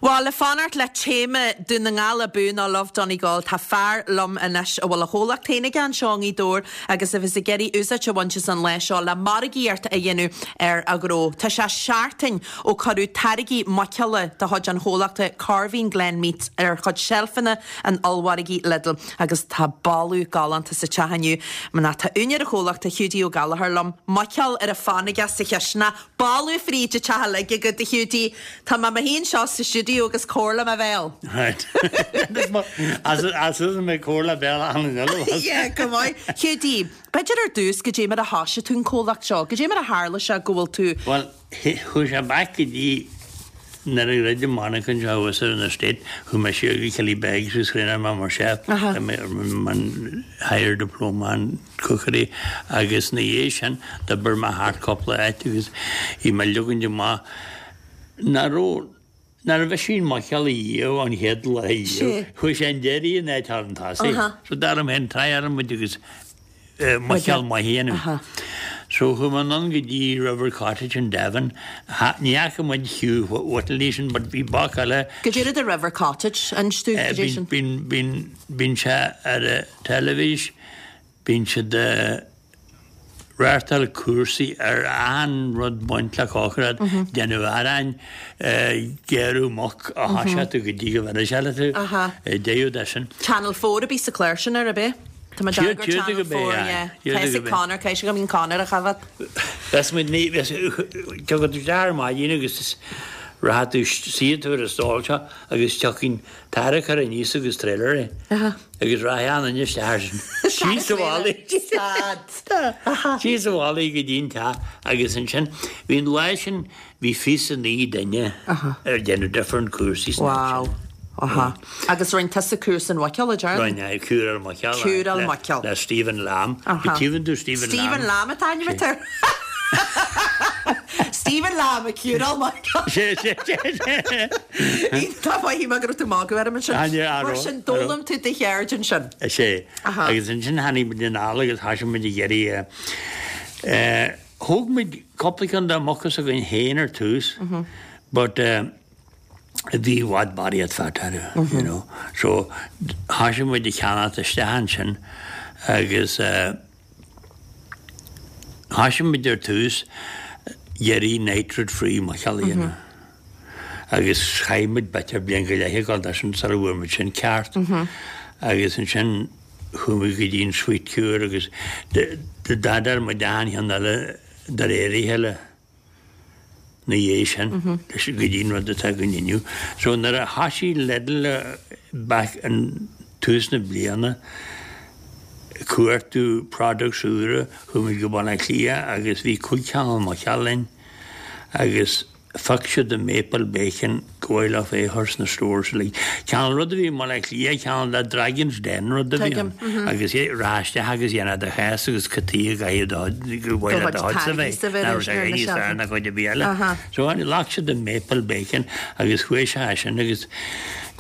Bhuel, le fanacht le téama Dún na nGall abú nó Love Donegal, tá fear liom anois a bhfuil a chomhlacht féin aige anseo i nGaoth Dobhair agus a bheas ag iarraidh úsáid a bhaint as an lá seo le margaíocht a dhéanamh ar a ghnó. Tá sé seachtain ó cuireadh táirgí muiceola de chuid an chomhlachta Corveen Glen Meats ar chuid seilfeanna an ollmhargaidh Lidl agus tá boladh galánta sa teach inniu. Mar tá úinéir an chomhlachta, Hiúdaí Ó Gallchóir liom, muiceoil ar a fonn aige sa chisteanach. Boladh fríd an teach uilig agat, a Hiúdaí. Tá mé mo shuí anseo sa stiúideo agus comhairle mo bhéal. Right. As is mé comhairle béal achan duine. Yeah, go maith. Hiúdaí, b'fhéidir ar dtús, goidé mar a thoisigh tú an comhlacht seo? Goidé mar a tharla sé go bhfuil tú. Bhuel, chuaigh sé back go dtí nuair a dhruid an mhonarcha anseo thuas ar an estate, chuaigh mé siar go Killybegs agus thraenáil mé mar chef, an higher diploma in cookery agus ina dhiaidh sin d'oibir mé thart cúpla áit agus bhí mé ag leogaint amach nach raibh nach raibh mise an muiceoil a dhíol an chéad lá a dhíol chuaigh sé an deiridh in áit chun tosaigh so dar liom féin try muid agus muiceoil maith a dhéanamh. So chuaigh mé anonn go dtí River Cottage in Devon ní fhaca muid Hugh Whittley sin but bhí boc eile Goidé rud é River Cottage inis dúinn goidé sin. Bíonn bíonn bíonn sé ar an teilifís Bíonn siad ag reáchtáil cúrsaí ar achan rud baint le cócaireacht, déanamh aráin, gearradh muc a thoiseacht go dtí go bhfeileann sé leat tú, deireadh de sin. Channel 4 a bí sa clár sin ar bith? Tá mé ag gur Channel 4, yeah. Tá fhios ag Conor, caithfidh sé go mbíonn Conor a choimhéad. Bheas muid ní, bheas, tiocfaidh tú isteach ar maidin agus rachaidh tú, suífidh tú ar an stól seo agus tiocfaidh tarracóir aníos agus trailer é agus rachaidh achan duine isteach air sin. Síos an bhealaigh. Síos an bhealaigh go dtí an teach agus ansin bhí an lá sin bhí 29 duine ar déanamh different cúrsaí san áit sin. Wow. Aha. Agus rinne tusa cúrsa an mhuiceoil, a deir? Rinne, cúráil muiceoil. Cúráil muiceoil. Le Stephen Lamb. Aha. Tchíonn tú Stephen Lamb. Stephen Lamb atá ainm air. Stephen Lamb ag cúráil muiceoil. Sé, sé, sé, sé. Tá maith go raibh tú ag magadh orm ansin. Mar sin, d'fhoghlaim tú do cheird ansin. Is ea. Agus ansin tháinig muid anall agus thoisigh muid ag iarraidh thóg muid cúpla ceann de muca s'againn féin ar tús but bhí i bhfad barraíocht fat orthu, you know. So thoisigh muid ag ceannacht isteach ansin agus Thoisigh muid ar tús iarraidh nitrate free muiceoil a dhéanamh agus chaith muid b'fhéidir bliain go leith ag dul de sin sula bhfuair muid sin ceart agus ansin chuaigh muid go dtí an sweet cure agus d'fhadair muid achan cheann eile de réir a chéile. 'na dhiaidh sin go dtí an rud atá againn inniu. So nuair a thoisigh Lidl back in tús na bliana ag cuartú products úra, chuaigh muid go Baile Átha Cliath agus bhí cúig chineál muiceoil linn agus phioc siad an maple bacon go mhaith leo é a chur sna stores uilig. Cineál rud a bhí i mBaile Átha Cliath, cineál de Dragon's Den rud a bhí ann agus rachfá isteach agus dhéanfá do chás agus cad chuige a gcaithfidh do go mhaith le do chuidse bheith, nach raibh sé níos fearr ná cuid ar bith eile. So ghlac siad an maple bacon agus chuaigh sé as sin agus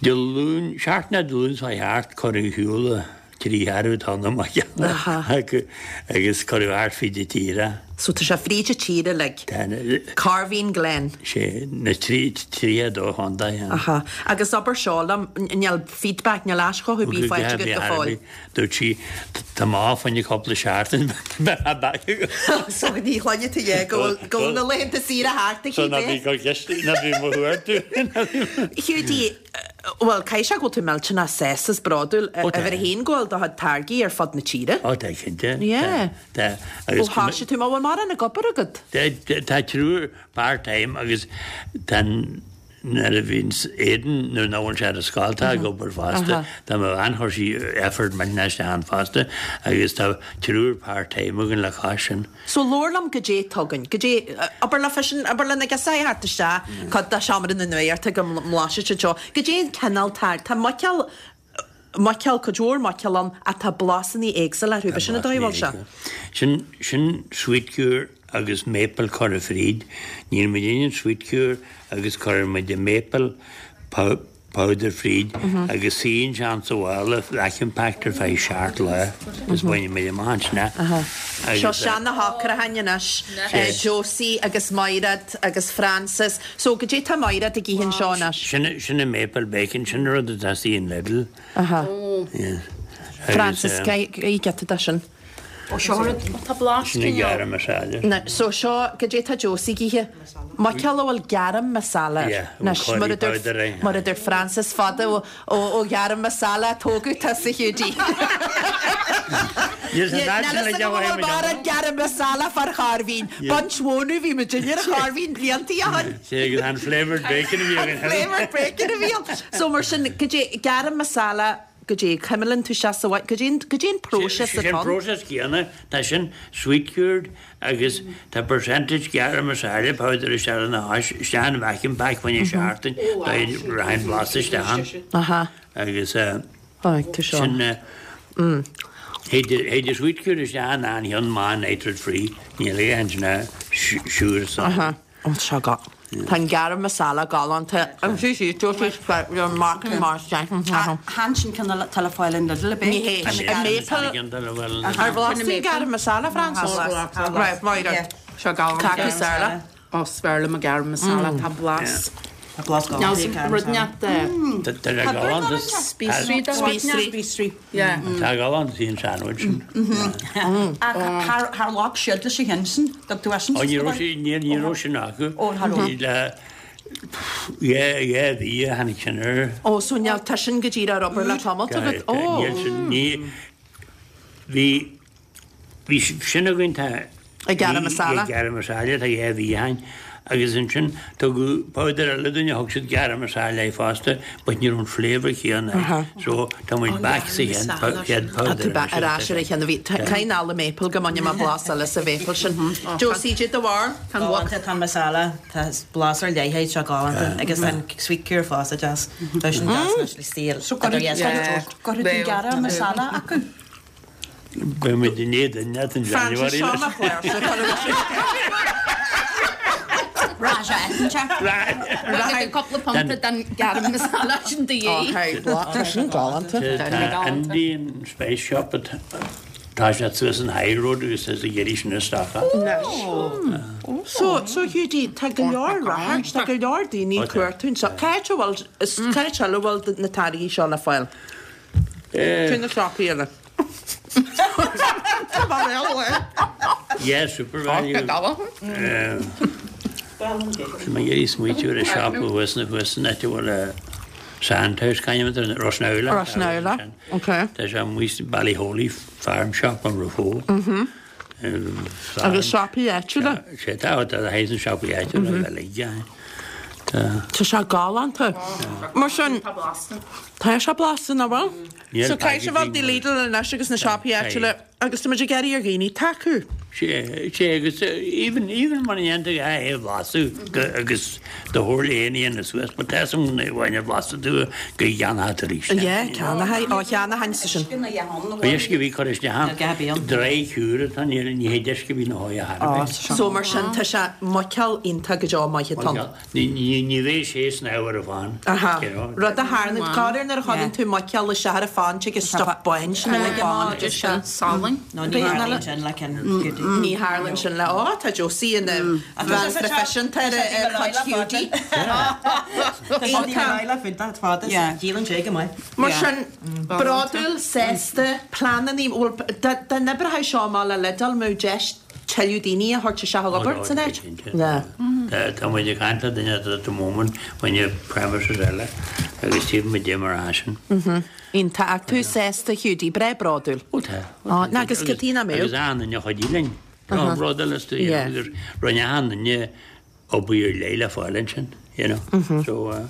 Dé Luain, seachtain Dé Luain seo thart cuireadh ar shiúl 30 tonna muiceola acu agus cuireadh thart fríd an tír é. So tá sé fríd an tír uilig. Tá. Corveen Glen. Sé, na 32 chontae. Aha. Agus abair seo liom, níl feedback, níl aischothú ar bith faighte agat go fóill? Dúirt sí, tá mé off fá choinne cúpla seachtain, beidh mé back agat. So ní chluinfidh tú é, go bhfuil, go bhfuil na laethanta saoire thart aici, So ná bí go ná bí mo thuar tú. Hiúdaí, Bhuel, caithfidh sé go bhfuil tú millteanach sásta is bródúil uimhir a haon go bhfuil do chuid táirgí ar fud na tíre. Ó tá, cinnte. Yeah. Tá. Ó thoisigh tú, má bhfuil mórán ag obair agat? Tá triúr part time agus tá nuair a bhíonn Aidan nuair nach bhfuil sé ar an scoil tá ag obair fosta. Tá mo bhean chuir sí effort millteanach isteach ann fosta agus tá triúr part time againn le cois sin. So labhair liom goidé atá againn, goidé, abair le feisean, abair le na girseachaí a theacht isteach, cuid de seomra na nuachta go mblaisfidh siad seo, goidé an cineál táirge, tá muiceoil, muiceoil, cuid mhór muiceoil ann ach tá blasanna éagsúla orthu, b'shin an dóigh a bhfuil sé? Sin, sin sweet cure agus maple curtha fríd, níl muid in an sweet cure agus cuireann muid an maple. powder fríd agus suíonn sé ann sa mhála vacuum packed ar feadh seacht lá agus baineann muid amach ansin é. Seo sean na shocrachain anois, Josie agus Maighread agus Frances. So goidé tá Maighread ag ithe anseo anois? Sin sin an maple bacon, sin an rud atá istigh in Lidl. Aha. Frances, ith giota de sin. Ó seo rud. Tá blas Sin an garam masala. Na, so seo, goidé tá Josie ag ithe? Muiceoil a bhfuil garam masala air. Yeah, a bhfuil curry powder air. Mar a deir Frances fada ó ó garam masala a tógadh tusa Hiúdaí. Níl san áit sin le Níl a fhios agam an bhfuil mórán garam masala fán Chorr Mhín. Baint mhónadh bhí muid ar an Chorr Mhín bliantaí ó shin. Sé agus an flavoured bacon a bhí againn. An flavoured bacon a bhí ann. So mar sin, goidé garam masala Goidé, cuimileann tú sé sa bhaile, goidé an, goidé an próiseas atá ann? Sé an próiseas céanna, tá sin sweet cured agus tá percentage garam masala powder isteach ina chois, isteach in vacuum pack fá choinne seachtain, rachaidh an blas isteach ann. Aha. Agus tá seo. sin théid sweet cured isteach in an cheann maith nitrate free, níl aon ansin siúr sa. Aha. Ó seo go. Tá an garam masala galánta. You're marking mar Chan sin ceann atá le fáil in Lidl, ab é? Ní hé. An maple. Ar bhlas tú an garam masala, Frances? Right, Máire. Seo galánta. Cad is fearr leat? Ó, is fearr liom an garam masala. Tá blas. Tá blas galánta. Rud inteacht Tá sé galánta. Spíosraí de Spíosraí. Spíosraí. Yeah. Tá galánta sí an sandwich sin. Ach char ghlac siad leis an cheann sin, dtug tú eisean Ó ní raibh sí, ní ní raibh sin acu. Ó, cha raibh. Le dhá mhí a tháinig sin air. Ó, so níl, tá sin go díreach ar obair le tamalt agat. Ó. Níl sin, ní, bhí, Bhí sin againn tá. Ag garam masala. Ag garam masala tá dhá mhí ó shin agus ansin tugadh powder eile dúinn a thug siad garam masala air fosta but ní raibh an flavour chéanna air so tá muid back sa chéad powder Tá tú back ar ais ar an cheann a bhí. Caithfidh an maple go mbainfidh mé blas eile sa mhaple sin. Josie, goidé do bharúil? Tá an galánta, tá an masala, tá blas ar leith air, tá sé galánta agus tá an sweet cure fosta deas. Tá sin deas anois le saol. So go raibh tú garam masala acu? Beidh muid in éadan leat in Frances January seo leis. mo chláirseach Rachaidh cúpla punt den garam masala sin de dhíth. Tá sin galánta. Tá Indian Spice Shop tá siad suas an High Road agus is ag iarraidh sin isteach. So, so Hiúdaí, tá go leor ráchairt, tá go leor daoine ag cuartú anseo. Cá háit a bhfuil, cá háit eile a bhfuil na táirgí seo le fáil? Cé na siopaí eile? Tá mé réidh le. Yeah, Supervalu. Tá mé ag iarraidh smaoitiú ar an siopa thuas na thuas san áit a bhfuil Sandhouse c'ainm atá air, Rossnowlagh. Rossnowlagh, ok. Tá sé amuigh sa Ballyholey Farm Shop an Raphoe. Agus siopaí áitiúla? Sé tá, tá a thaobh na siopaí áitiúla uilig, yeah. Tá sé galánta. Mar sin, tá sé blasta, nach bhfuil? So caithfidh sibh dul Lidl anois agus na siopaí áitiúla agus tá muid ag iarraidh ar dhaoine tacú. Sé, sé agus even, even muna ndéantar é a bhlaiseadh agus do thabhair le aon aon suas, but tá san bhain a bhlaiseadh tú go gceannófá tú arís. Yeah, ceannófá, ó cheannófainnse sin. Uisce a bhí curtha isteach ann, dry cure atá ann, ní hé uisce a bhí ina shóigh a thairbhe. So mar sin tá sé muiceoil iontach go deo maith atá ann. Ní bheidh sé snámh ar an phan. Aha. Rud a tharlaíonn, corruair nuair a chuireann tú muiceoil isteach ar an phan tig an stuif bán sin ar an bpán agus sin. Salainn. No, ní tharlaíonn sin le ceann Hiúdaí. Ní tharlaíonn sin le, ó, tá Josie ina bhean phroifisiúnta ar chuid Hiúdaí. Díolann sé go maith. Mar sin, bródúil, sásta, pleananna, bhuel, dá n-oibreodh seo amach le Lidl, mbeadh deis tuilleadh daoine a thabhairt isteach ag obair san áit. Tá muid ag caint le duine at the moment fá choinne premises eile agus tífidh muid dé mar atá sin. Iontach. Ach tú sásta, Hiúdaí, breá bródúil. Ó tá. Ó, ná agus cad chuige nach mbeadh? Agus achan duine a chuidigh linn. Tá bródúil astu, you know, agus rinne achan duine obair ar leith le fáil ansin, you know. So, uh,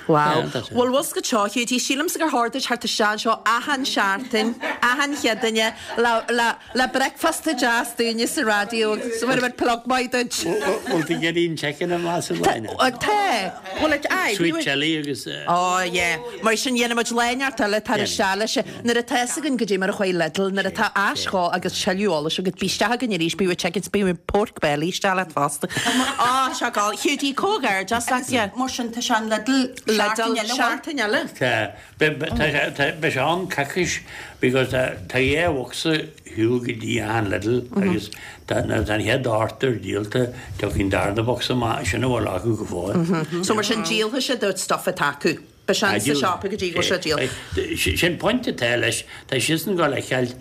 Wow. yeah, that's it. Bhuel, bhfuil go seo, Hiúdaí, sílimse gur chóir duit theacht isteach anseo achan seachtain, achan Chéadaoine, le, le, le bricfeasta deas dúinne sa raidió agus bhfuil muid plug maith duit. Bhfuil tú ag iarraidh an chicken a bhlaiseadh, Láine? Tá. Bhuel, aye. Sweet chili agus, uh, Oh, yeah. Mar sin, dhéanfaidh muid lá neart eile tar isteach leis. Nuair atá fhios againn goidé mar a chuaigh Lidl, nuair atá ais dhó agus tuilleadh eolais agat, bí isteach againn arís, bí with chickens, bí with pork belly isteach leat fosta. Á, seo go. Hiúdaí, comhghairdeas leat, yeah. Mar sin, tá sé an Lidl. Lidl seachtain eile. Tá, beidh sé ann coicís because tá dhá bhocsa ar shiúl go dtí achan Lidl agus tá nuair atá an chéad order díolta tiocfaidh an darna bocsa amach, sin a bhfuil acu go fóill. So mar sin díolfaidh siad an stuff atá acu. Beidh sé sa siopa go dtí go bhfuil sé díolta. Sin pointe atá leis, tá siadsan ag gabháil a fheiceáil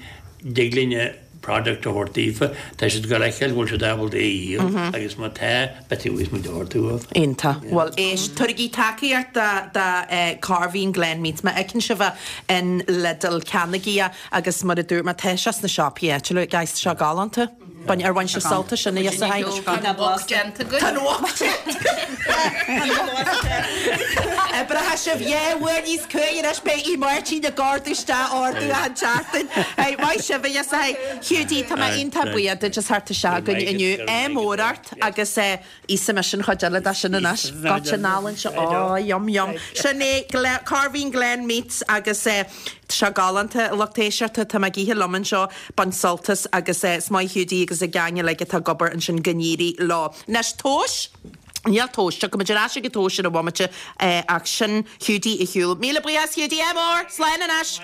dtig linne product a thabhairt daofa, tá siad ag gabháil a fheiceáil go bhfuil siad ábalta é a dhíol agus má tá, beidh muid a thabhairt uathu. Iontach. Bhuel, éist, tabhairigí tacaíocht do Corveen Glen Meats. Má fheiceann sibh é in Lidl, ceannaigí é agus mar a dúirt mé, tá sé sna siopaí áitiúla. Guys, tá sé galánta. Bain, ar bhain sibh sult as sin, a Fhios Tá an wok déanta againn. Tá an wok déanta. Oibreoidh sibh dhá uair níos cumhaidh anois, beidh Aodh Máirtín ag ordú isteach ordú achan tseachtain. Hey, maith sibh, a Fhios Hiúdaí, tá mé iontach buíoch duit as theacht isteach chugainn inniu. Ádh mór ort agus Íosfaidh mise an chuid eile de sin anois. Goitse an álainn seo. Ó, yum yum. Sin é Corveen Glen Meats agus tá sé galánta, a lucht éisteachta. Tá mé ag ithe liom anseo, bain sult as agus is maith Hiúdaí agus an gang uilig atá ag obair ansin go n-éirí leo. Anois, tomhais? Níl tomhas. Tiocfaidh muid ar ais ag an tomhas ar an bhomaite ach sin Hiúdaí ar shiúl. Míle buíochas Hiúdaí, ádh mór! Slán anois!